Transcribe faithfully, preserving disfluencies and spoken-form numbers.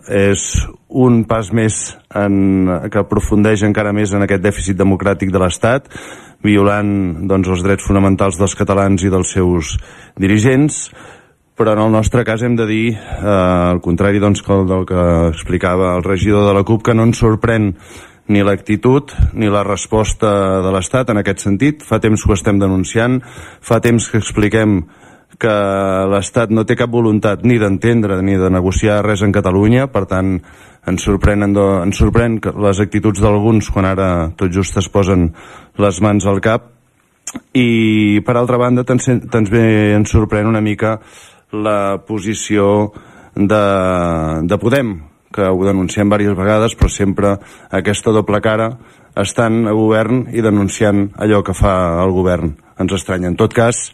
és un pas més en, que aprofundeix encara més en aquest dèficit democràtic de l'Estat, violant doncs, els drets fonamentals dels catalans i dels seus dirigents. Però en el nostre cas hem de dir, eh, al contrari doncs, del que explicava el regidor de la CUP, que no ens sorprèn ni l'actitud ni la resposta de l'Estat en aquest sentit. Fa temps que ho estem denunciant, fa temps que expliquem que l'Estat no té cap voluntat ni d'entendre ni de negociar res en Catalunya. Per tant, ens sorprenen, ens sorprèn les actituds d'alguns quan ara tot just es posen les mans al cap. I per altra banda també ens sorprèn una mica la posició de, de Podem, que ho denunciem diverses vegades, però sempre aquesta doble cara, estant a govern i denunciant allò que fa el govern. Ens estranya. En tot cas,